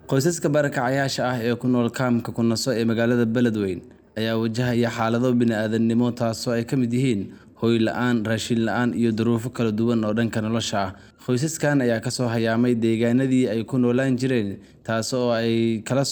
Qoysaska barakacayaasha ah ee ku nool kaamka Kunaso ee magaalada Beledweyne ayaa wajahaya xaalado bini'aadantinimo taasoo ay ka mid yihiin hoy la'aan, raashin la'aan iyo duruufo kala duwan oo dhanka nolosha ah. Qoysaskan ayaa kasoo hayaamay deegaanadii ay ku noolaan jireen taas oo ay kala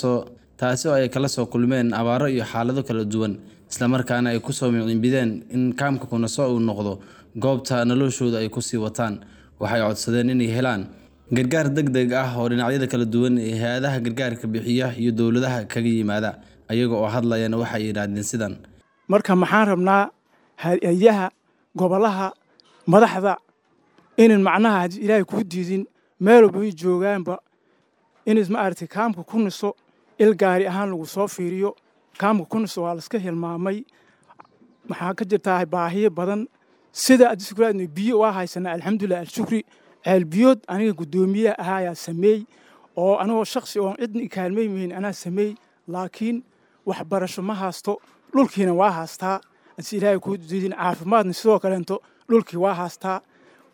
soo kulmeen abaaro iyo xaalado kala duwan, isla markaana ay ku soo miciinbideen in kaamka Kunaso uu noqdo goobta noloshooda ay ku sii wataan. Waxay codsadeen inay helaan gargaar degdeg ah oo dhinacyada kala duwan ee hay'adaha gargaarka bixiya iyo dowladaha kaga yimaada. Ayaga oo hadlayana waxay yidhaahdeen sidan. Marka maxaan rabnaa hay-adaha gobolaha madaxda inan macnaha haddii Ilaahay kuu diidin meel walba ay joogaanba in maaragtay kaamka ku niso il gaari ahaan lagu soo fiiriyo. Kaamka ku niso waa la iska hilmaamay. Maxaa ka jirtaa baahiyo badan sida adisukuraadna biyo waa haysanaa, alxamdulilah, alshukri. Ceel biyood aniga guddoomiyaha ahaa ayaa sameey oo anigoo shakhsi oon cidna i kaalmaymaynin anaa sameey, laakiin waxbarasho ma haysto, dhulkiina waa haystaa. Hadii Ilaahay kuu diidin caafimaadna sidoo kaleento dhulkii waa haystaa,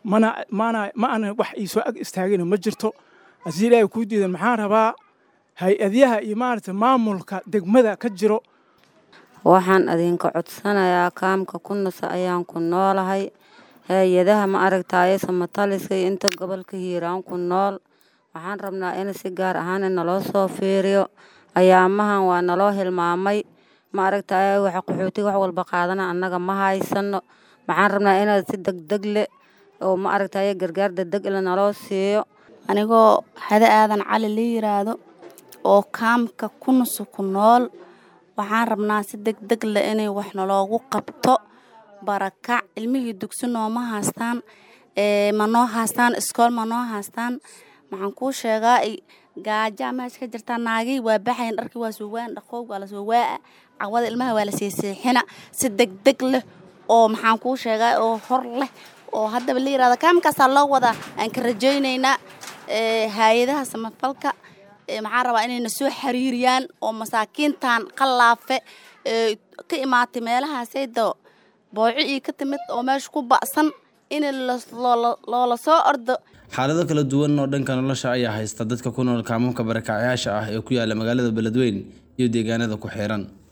mana mana ma ana wax ii soo ag istaagina ma jirto. Hadii Ilaahay kuu diidan maxaan rabaa hay-adyaha iyo maaragtay maamulka degmada ka jiro. Waxaan idinka codsanayaa kaamka Kunaso ayaan ku noolahay. Hay-adaha ma aragtaaye samataliska iyo inta gobolka Hiiraan ku nool. Waxaan rabnaa in si gaar ahaan naloo soo fiiriyo. Ayaamahan waa naloo hilmaamay. Ma aragtaaye waxa qaxootiga wax walba qaadana annaga ma haysano. Maxaan rabnaa inaad si degdeg leh oo ma aragtaaye gargaar degdeg leh naloo siiyo. Anigoo Hade Aadan Cali la yiraahdo oo kaamka Kunaso ku nool, waxaan rabnaa si degdeg leh inay wax naloogu qabto. Barakac ilmihii dugsi nooma haystaan, ma noo haystaan iskool, ma noo haystaan. Maxaan kuu sheegaa, gaaja meesha ka jirta, naagihii waa baxayn, dharkii waa soo waan dhaqoog waa la soo waa'a, cawada ilmaha waa la seeseexina si degdeg leh oo maxaan kuu sheegaa oo hor leh oo haddaba la yiraahdo kaamkaasaa loo wadaa. Aan ka rajaynaynaa hay-adaha samafalka, maxaan rabaa inayna soo xiriiriyaan oo masaakiintan qalaafe ka imaatay meelahaasayda booco ii ka timid oo meesha ku ba'san in loola soo ordo. Xaalado kala duwan oo dhanka nolosha ayaa haysta dadka ku nool kaamamka barakacayaasha ah ee ku yaala magaalada Beledweyne iyo deegaanada ku xeeran.